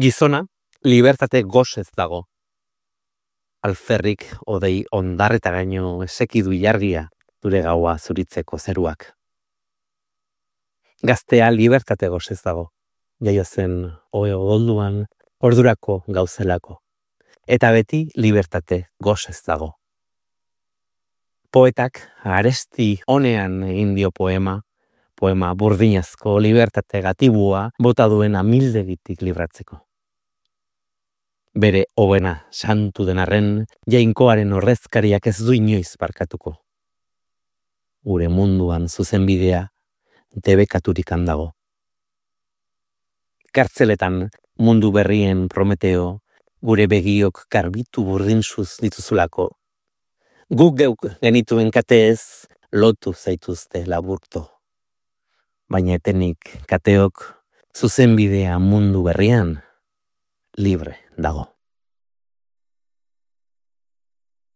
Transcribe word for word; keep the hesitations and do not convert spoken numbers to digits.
Gizona, libertate gozez dago. Alferrik odei ondarreta gaino esekidu jargia zure gaua zuritzeko zeruak. Gaztea libertate gozez dago. Jaio zen oe odolduan ordurako gauzelako. Eta beti libertate gozez dago. Poetak aresti honean egin dio poema, poema burdinazko libertate gatibua bota duen amildegitik libratzeko. Bere hobena santu denarren, jainkoaren horrezkariak ez du inoiz barkatuko. Gure munduan zuzenbidea debekaturik handago. Kartzeletan mundu berrien Prometeo, gure begiok garbitu burdinzuz dituzulako. Guk geuk genituen kateez lotu zaituzte laburto. Baina etenik kateok zuzenbidea mundu berrian libre dago.